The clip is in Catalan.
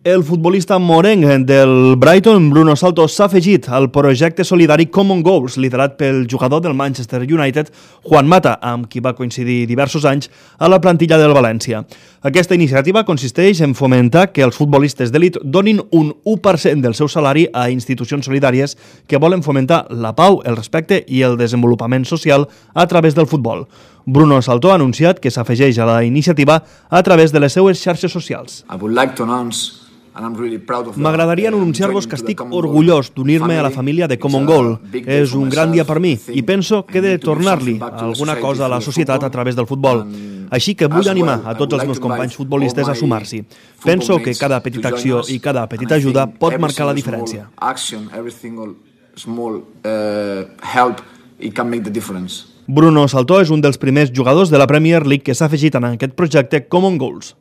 El futbolista morenc del Brighton, Bruno Salto, s'ha afegit al projecte solidari Common Goals, liderat pel jugador del Manchester United, Juan Mata, amb qui va coincidir diversos anys a la plantilla del València. Aquesta iniciativa consisteix en fomentar que els futbolistes d'elit donin un 1% del seu salari a institucions solidàries que volen fomentar la pau, el respecte i el desenvolupament social a través del futbol. Bruno Salto ha anunciat que s'afegeix a la iniciativa a través de les seues xarxes socials. M'agradaria anunciar-vos que estic orgullós d'unir-me a la família de Common Goal. És un gran dia per mi i penso que he de tornar-li alguna cosa a la societat a través del futbol. Així que vull animar a tots els meus companys futbolistes a sumar-s'hi. Penso que cada petita acció i cada petita ajuda pot marcar la diferència. Bruno Salto és un dels primers jugadors de la Premier League que s'ha afegit en aquest projecte Common Goals.